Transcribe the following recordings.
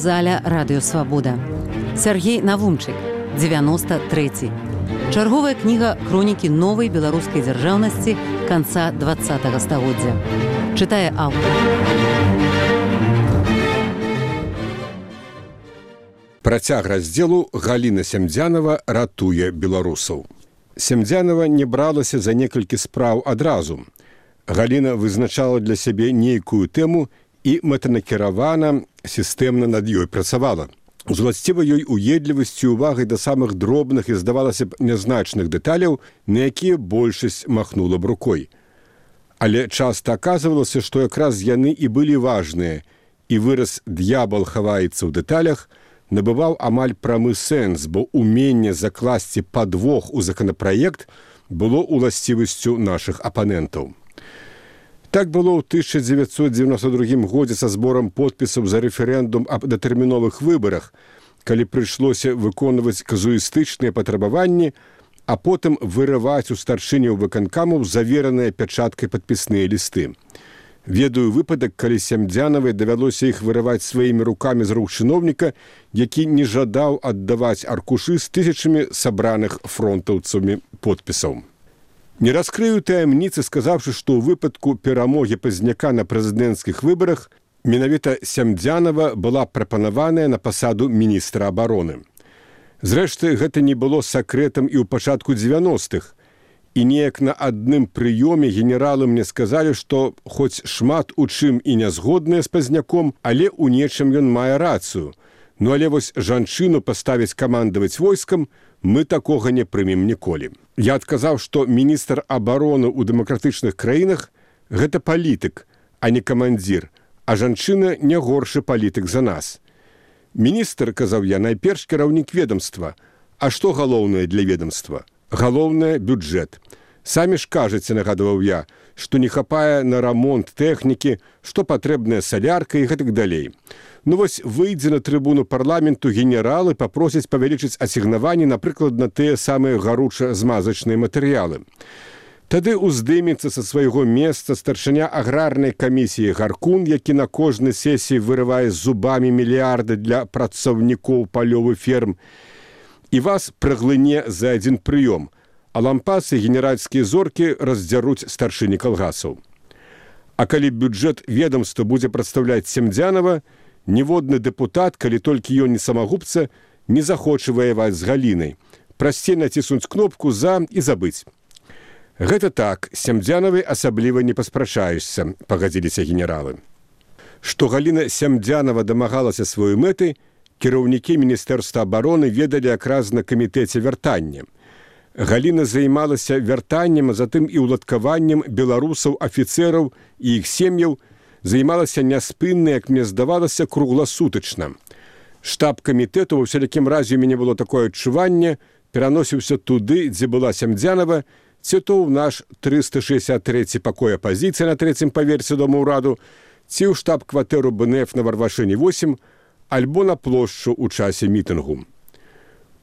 аўдыёзаля «Радыёсвабода». Сергей Навумчык, 93. Чарговая кніга хронікі новай беларускай дзяржаўнасці канца 20-го стагоддзя. Чытае аўтар. Працяг раздзелу Галіна Сямдзянава ратуе беларусаў. Сямдзянава не бралася за некалькі спраў адразу. Галіна вызначала для сябе нейкую тэму і мэтанакіравана, сістэмна над ёй працавала. З уласцівай ёй уедлівасцю і увагай да самых дробных і, здавалася б, нязначных дэталяў, на якія большасць махнула б рукой. Але часта аказвалася, што якраз яны і былі важныя, і выраз «д'ябал хаваецца ў дэталях» набываў амаль прамы сэнс, бо уменне закласці падвох у законапраект было уласцівасцю нашых апанентаў. Так было ў 1992 годзе са зборам подпісаў за рэферэндум аб датэрміновых выбарах, калі прыйшлося выконваць казуістычныя патрабаванні, а потым вырываць у старшыняў выканкамаў завераныя пячаткай падпісныя лісты. Ведаю выпадак, калі Сямдзянавай давялося іх вырываць сваімі рукамі з рук чыноўніка, які не жадаў аддаваць аркушы з тысячамі сабраных фронтаўцамі подпісаў. Не раскрыю таямніцы, сказаўшы, што ў выпадку перамогі Пазняка на прэзідэнцкіх выбарах менавіта Сямдзянава была прапанаваная на пасаду міністра абароны. Зрэшты, гэта не было сакрэтам і ў пачатку 90-х. І неяк на адным прыёме генералы мне сказалі, што хоць шмат у чым і не згодныя з Пазняком, але ў нечым ён мае рацыю. Ну але вось жанчыну паставіць камандаваць войскам мы такога не прымем ніколі. Я адказаў, што міністр абароны ў дэмакратычных краінах – гэта палітык, а не камандзір, а жанчына не горшы палітык за нас. Міністр, казаў я, найперш кіраўнік ведомства. А што галоўнае для ведомства? Галоўнае – бюджэт. Самі ж кажаце, нагадваў я, што не хапае на рамонт тэхнікі, што патрэбная салярка і гэтак далей. Ну вось выйдзе на трыбуну парламенту генералы папросяць павялічыць асігнаванні, напрыклад, на тыя самыя гаруча-змазачныя матэрыялы. Тады уздымецца са свайго месца старшыня аграрнай камісіі Гаркун, які на кожнай сесіі вырывае зубамі мільярды для працаўнікоў палёвых ферм, і вас праглыне за адзін прыём, а лампасы генеральскія зоркі раздзяруць старшыні калгасаў. А калі бюджэт ведомства будзе прадстаўляць Сямдзянава, ніводны дэпутат, калі толькі ён не самагубца, не захоча ваяваць з Галінай. Прасцей націснуць кнопку «За» і забыць. Гэта так, Сямдзянавай асабліва не паспрачаешся, пагадзіліся генералы. Што Галіна Сямдзянава дамагалася сваёй мэты, кіраўнікі Міністэрства абароны ведалі якраз на камітэце вяртання. Галіна займалася вяртаннем, а затым і ўладкаваннем беларусаў, афіцэраў і іх сем'яў, займалася няспынна, як мне здавалася, кругласутачна. Штаб камітэту, ва ўсялякім разе у мяне было такое адчуванне, пераносіўся туды, дзе была Сямдзянава, ці то ў наш 363 пакой апазіцыі на 3-м паверсе дома ўраду, ці ў штаб-кватэру БНФ на Варвашыне 8, альбо на плошчу ў часе мітынгу.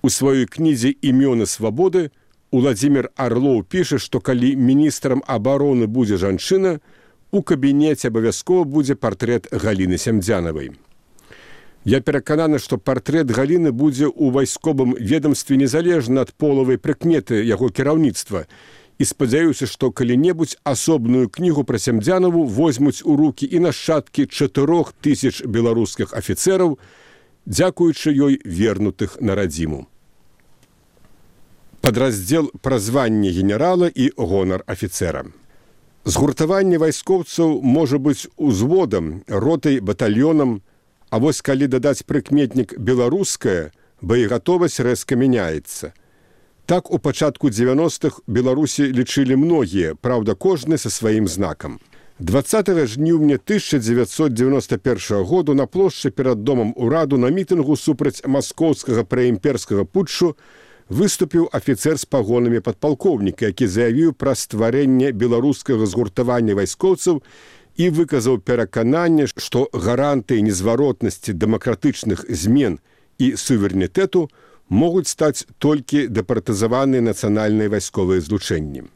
У сваёй кнізе «Імёны свабоды» Уладзімір Арлоў піша, што калі міністрам абароны будзе жанчына, у кабінеце абавязкова будзе партрэт Галіны Сямдзянавай. Я перакананы, што партрэт Галіны будзе ў вайсковым ведамстве незалежна ад полавай прыкметы яго кіраўніцтва, і спадзяюся, што калі-небудзь асобную кнігу пра Сямдзянаву возьмуць у рукі і нашчадкі 4000 беларускіх афіцэраў, дзякуючы ёй вернутых на радзіму. Падраздзел пра званне генерала і гонар афіцэра. Згуртаванне вайскоўцаў можа быць узводам, ротай, батальёнам, а вось калі дадаць прыкметнік «беларуская», боегатовасць рэзка мяняецца. Так у пачатку 90-х Беларусі лічылі многія, праўда, кожны са сваім знакам. 20 жніўня 1991 году на плошчы перад домам ураду на мітынгу супраць маскоўскага праімперскага путчу выступіў афіцэр з пагонамі падпалкоўніка, які заявіў пра стварэнне беларускага згуртавання вайскоўцаў і выказаў перакананне, што гарантыі незваротнасці дэмакратычных змен і суверэнітэту могуць стаць толькі дэпартызаваныя нацыянальныя вайсковыя злучэнні.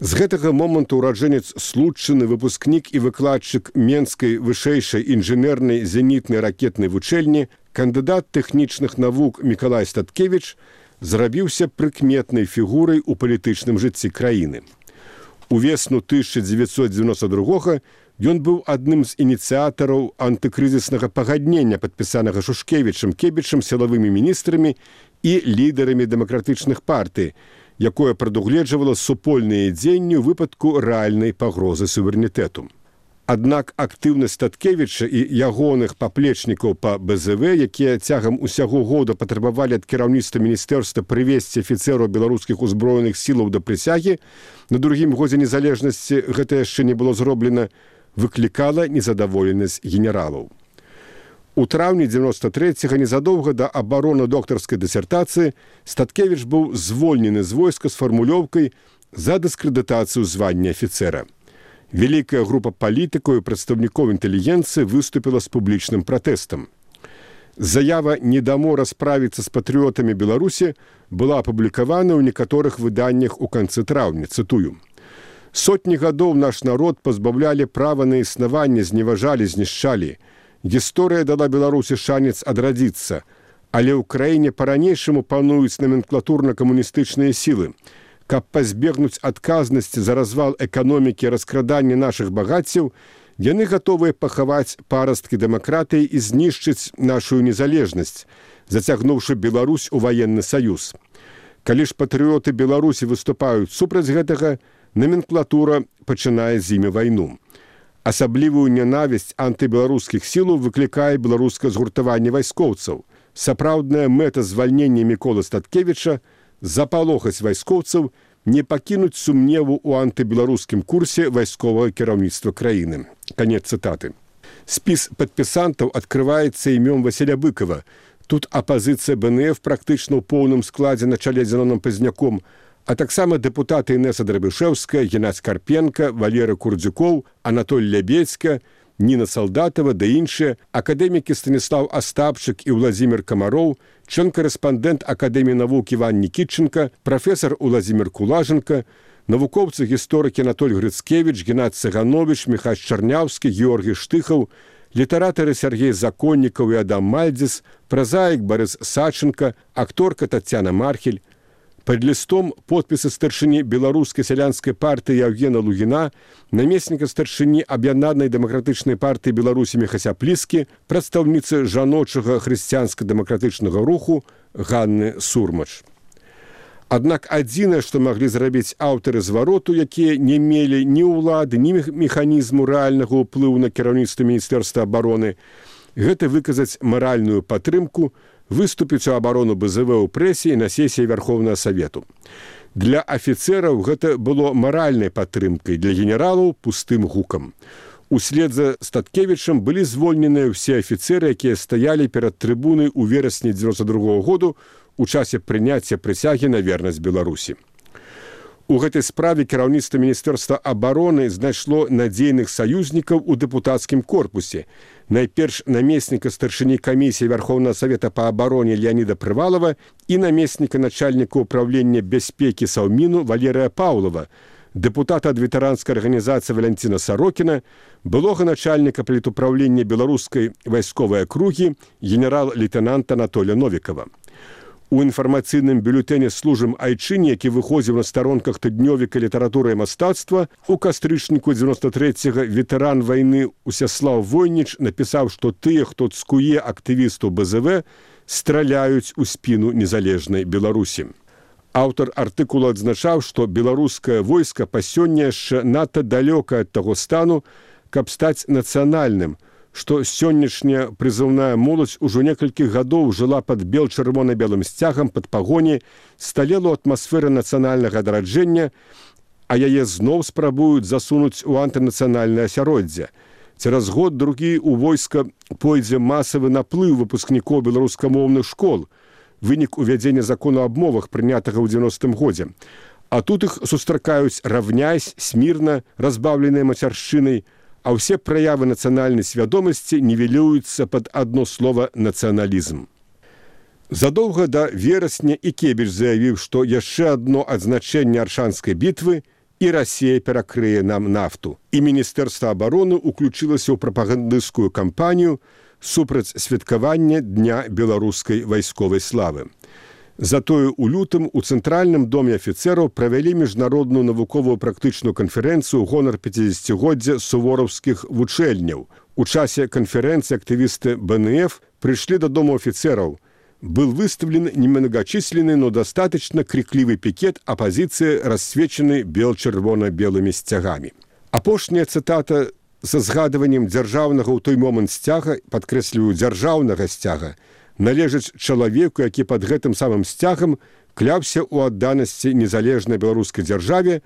З гэтага моманту ураджэнец Случчыны, выпускнік і выкладчык Менскай вышэйшай інжынернай зенітнай ракетнай вучэльні, кандыдат тэхнічных навук Мікалай Статкевіч зрабіўся прыкметнай фігурай у палітычным жыцці краіны. У весну 1992 ён быў адным з ініцыятараў антыкрызіснага пагаднення, падпісанага Шушкевічам, Кебічам, сілавымі міністрамі і лідарамі дэмакратычных партый, якое прадугледжвала супольныя дзеянні ў выпадку рэальнай пагрозы суверэнітэту. Аднак актыўнасць Статкевіча і ягоных паплечнікаў па БЗВ, якія цягам усяго года патрабавалі ад кіраўніцтва міністэрства прывесці афіцэраў беларускіх узброеных сілаў да прысягі, на другім годзе незалежнасці гэта яшчэ не было зроблена, выклікала незадаволенасць генералаў. У траўні 93-го, незадоўга да абароны доктарскай дысертацыі, Статкевіч быў звольнены з войска з фармулёўкай за дыскрэдытацыю звання афіцэра. Вялікая група палітыкаў і прадстаўнікоў інтэлігенцыі выступіла з публічным пратэстам. Заява «Недамо расправіцца з патрыётамі Беларусі» была апублікавана ў некаторых выданнях у канцы траўня, цытую. «Сотні гадоў наш народ пазбаўлялі права на існаванне, зневажалі, знішчалі. Гісторыя дала Беларусі шанец адрадзіцца, але ў краіне па-ранейшаму пануюць номенклатурна-камуністычныя сілы. Каб пазбегнуць адказнасці за развал эканомікі і раскраданне нашых багаццяў, яны гатовыя пахаваць парасткі дэмакратыі і знішчыць нашу незалежнасць, зацягнуўшы Беларусь у ваенны саюз. Калі ж патрыёты Беларусі выступаюць супраць гэтага, номенклатура пачынае з імі вайну. Асаблівую нянавісць антыбеларускіх сілаў выклікае беларускае згуртаванне вайскоўцаў. Сапраўдная мэта звальнення Міколы Статкевіча – запалохаць вайскоўцаў, не пакінуць сумневу ў антыбеларускім курсе вайсковага кіраўніцтва краіны. Канец цытаты. Спіс падпісантаў адкрываецца імём Васіля Быкова. Тут апазіцыя БНФ практычна ў поўным складзе на чале з Зеноном Пазняком, а таксама дэпутаты Інеса Драбішэўская, Геннадзь Карпенка, Валера Курдзюкоў, Анатоль Лябедзька, Ніна Салдатова да іншыя, акадэмікі Станіслав Астапчык і Владзімір Камароў, член-карэспандэнт Акадэміі навук Іван Нікітченка, прафесар Уладзімір Кулаженка, навукоўцы-гісторыкі Анатоль Грыцкевіч, Геннадзь Цыганович, Міхась Чарняўскі, Георгій Штыхаў, літаратары Сергей Законнікаў і Адам Мальдзіс, празаік Барыс Саченка, акторка Тацяна Мархель. Пад лістом подпісы старшыні беларускай сялянскай партыі Яўгена Лугіна, намесніка старшыні аб'яднанай дэмакратычнай партыі Беларусі Міхася Пліскі, прадстаўніцы жаночага хрысціянска-дэмакратычнага руху Ганны Сурмач. Аднак адзінае, што маглі зрабіць аўтары звароту, якія не мелі ні ўлады, ні механізму рэальнага ўплыву на кіраўніцтва Міністэрства абароны, гэта выказаць маральную падтрымку, выступіць у абарону БЗВ ў прэсе і на сесіі Вярхоўнага Савету. Для афіцэраў гэта было маральнай падтрымкай, для генералаў пустым гукам. Услед за Статкевічам былі звольненыя ўсе афіцэры, якія стаялі перад трыбунай у верасні 92 году у часе прыняцця прысягі на вернасць Беларусі. У гэтай справе кіраўніцтва Міністэрства абароны знайшло надзейных саюзнікаў у дэпутацкім корпусе. Найперш намесніка старшыні камісіі Вярхоўнага Савета па абароне Леаніда Прывалова і намесніка начальніка ўправлення бяспекі Саўміну Валерыя Паўлова, дэпутата ад ветэранскай арганізацыі Валянціна Сарокіна, былога начальніка палітуправлення беларускай вайсковай акругі генерал-лейтенанта Анатоля Новікава. У інфармацыйным бюлетэне «Служым айчыне», які выходзіў на старонках тыднёвіка літаратуры і мастацтва, у кастрычніку 93-го ветэран вайны Усяслаў Войніч напісаў, што тыя, хто цкуе актывістаў БЗВ, страляюць у спіну незалежнай Беларусі. Аўтар артыкула адзначаў, што беларускае войска па сёння яшчэ надта далёка ад таго стану, каб стаць нацыянальным, што сённяшняя прызыўная моладзь ужо некалькі гадоў жыла пад бел-чырвона-белым сцягам пад пагоні, сталела ў атмасферы нацыянальнага адраджэння, а яе зноў спрабуюць засунуць у антынацыянальнае асяроддзе. Цераз год-другі ў войска пойдзе масавы наплыў выпускнікоў беларускамоўных школ, вынік увядзення закону аб мовах, прынятага ў 90-м годзе. А тут іх сустракаюць равняйсь, смірна, разбаўленыя мацяршчынай, а ўсе праявы нацыянальнай свядомасці нівелююцца пад адно слова «нацыяналізм». Задоўга да верасня і Кебіч заявіў, што яшчэ адно адзначэнне Аршанскай бітвы і Расія перакрые нам нафту. І Міністэрства абароны ўключылася ў прапагандысцкую кампанію, супраць святкавання Дня беларускай вайсковай славы. Затое ў лютым у Цэнтральным доме афіцэраў правялі міжнародную навуковую практычную канферэнцыю ў гонар 50-годдзя сувораўскіх вучэльняў. У часе канферэнцыі актывісты БНФ прыйшлі дадому афіцэраў. Был выставлен немногочисленный, но достаточно крикливый пикет оппозиции, рассвеченный бел-червона-белыми сцягами. Апошняя цытата са згадываннем дзяржаўнага ў той момант сцяга, падкрэсліваю, дзяржаўнага сцяга, належыць чалавеку, які пад гэтым самым сцягам кляўся ў адданасці незалежнай беларускай дзяржаве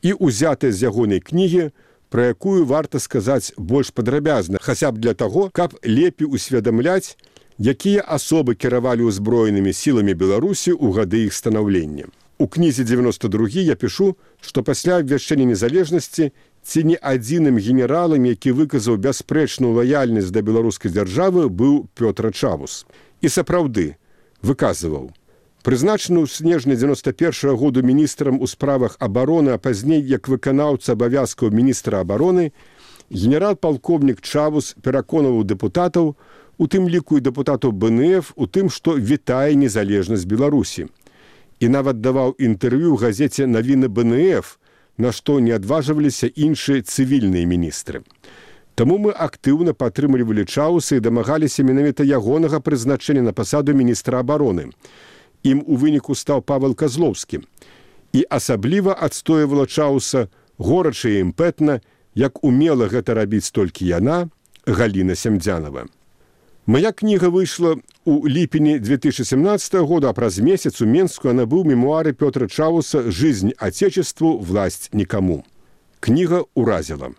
і узятая з ягонай кнігі, пра якую варта сказаць больш падрабязна, хаця б для таго, каб лепей усведамляць, якія асобы кіравалі ўзброенымі сіламі Беларусі ў гады іх станаўлення. У кнізе 92 я пішу, што пасля абвяшчэння незалежнасці ці не адзіным генералам, які выказаў бясспрэчную лаяльнасць да беларускай дзяржавы, быў Пётр Чавус. І сапраўды выказваў. Прызначаны ў снежні 91 году міністрам у справах абароны, а пазней як выканаўца абавязкаў міністра абароны, генерал-палкоўнік Чавус пераконваў дэпутатаў, у тым ліку і дэпутатаў БНФ, у тым, што вітае незалежнасць Беларусі. І нават даваў інтэрв'ю ў газеце «Навіны БНФ», на што не адважваліся іншыя цывільныя міністры. Таму мы актыўна падтрымлівалі Чауса і дамагаліся менавіта ягонага прызначэння на пасаду міністра абароны. Ім у выніку стаў Павел Казлоўскі. І асабліва адстойвала Чауса горача і імпэтна, як умела гэта рабіць толькі яна, Галіна Семдзянова. Моя кніга выйшла ў ліпені 2017 года, а праз месяц у Менску я набыў мемуары Пётра Чауса «Жизнь Отечеству, власть никому». Кніга уразіла.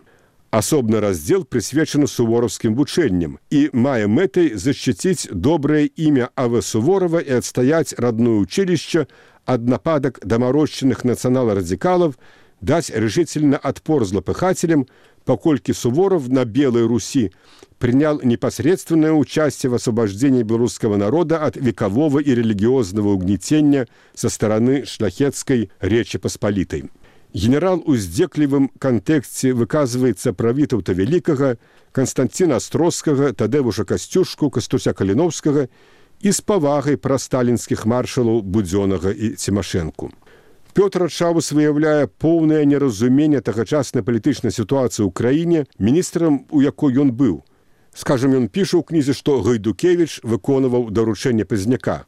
Асобны раздзел прысвечаны сувораўскім вучэнням і мае мэтай защитіць добрае імя А.В. Суворова і адстаяць родное училище ад нападак дамароччаных нацыянал-радикалов, даць решительно отпор злопыхателям, покольки Суворов на Белой Руси принял непосредственное участие в освобождении белорусского народа от векового и религиозного угнетения со стороны шляхетской Речи Посполитой. Генерал у здзеклівым кантэксце выказваецца пра Вітаўта Вялікага, Канстанціна Астроскага, Тадэвуша Касцюшку, Кастуся Каліновскага і з павагай пра сталінскіх маршалаў Будзёнага і Цімашэнку. Пётр Чавус выяўляе поўнае неразуменне тагачаснай палітычнай сітуацыі ў краіне, міністрам, у якой ён быў. Скажам, ён піша ў кнізе, што Гайдукевіч выконваў даручэнне Пазняка.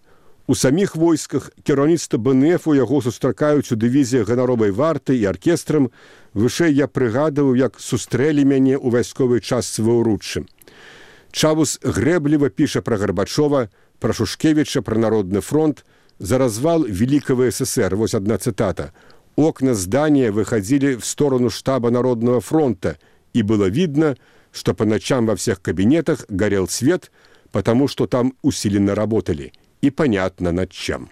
У саміх войсках кіраўніцтва БНФ у яго сустракаюць у дывізіях ганаровай варты і аркестрам. Вышэй я прыгадываў, як сустрэлі мяне ў вайсковай частцы ва ўруччы. Чавус грэбліва піша пра Гарбачова, пра Шушкевіча, пра Народны фронт, за развал Великого СССР. Вот одна цитата. «Окна здания выходили в сторону штаба Народного фронта, и было видно, что по ночам во всех кабинетах горел свет, потому что там усиленно работали. И понятно над чем».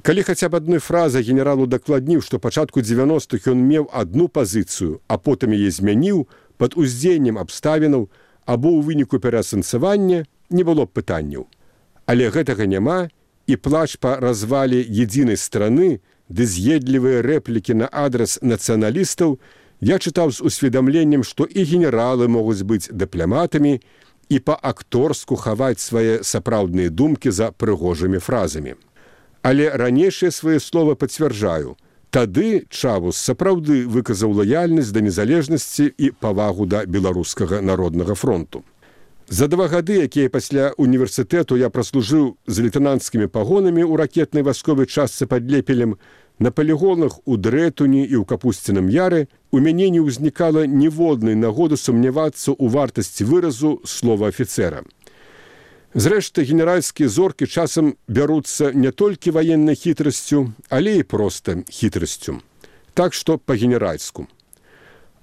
Калі хаця б адной фразай генералу дакладніў, што пачатку 90-х ён меў адну пазіцыю, а потым яе змяніў пад уздзеяннем абставінаў або ў выніку пераасэнсавання, не было б пытанняў. Але гэтага няма, і плач па развале единой страны, ды з'едлівыя рэплікі на адрас нацыяналістаў я чытаў з усведамленнем, што і генералы могуць быць дыпламатамі і па-акторску хаваць свае сапраўдныя думкі за прыгожымі фразамі. Але ранейшыя свае словы пацвярджаю. Тады Чавус сапраўды выказаў лаяльнасць да незалежнасці і павагу да беларускага народнага фронту. За 2 гады, якія пасля універсітэту я праслужыў з лейтэнанцкімі пагонамі ў ракетнай вайсковай частцы пад Лепелем, на палігонах у Дрэтуні і ў Капусціным Яры у мяне не ўзнікала ніводнай нагоды сумнявацца ў вартасці выразу слова афіцэра. Зрэшты, генеральскія зоркі часам бяруцца не толькі ваеннай хітрасцю, але і проста хітрасцю. Так што па-генеральску.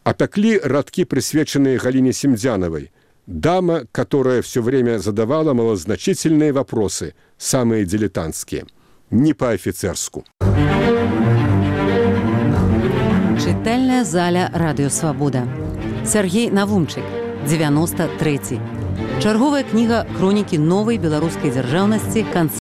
Апяклі радкі, прысвечаныя Галіне Семдзяновой, дама, которая все время задавала малозначительные вопросы, самые дилетантские, не по-офицерску. Читальная заля Радио Свобода. Сергей Навумчик, 93. Чарговая книга хронікі новай беларускай дзяржаўнасці канца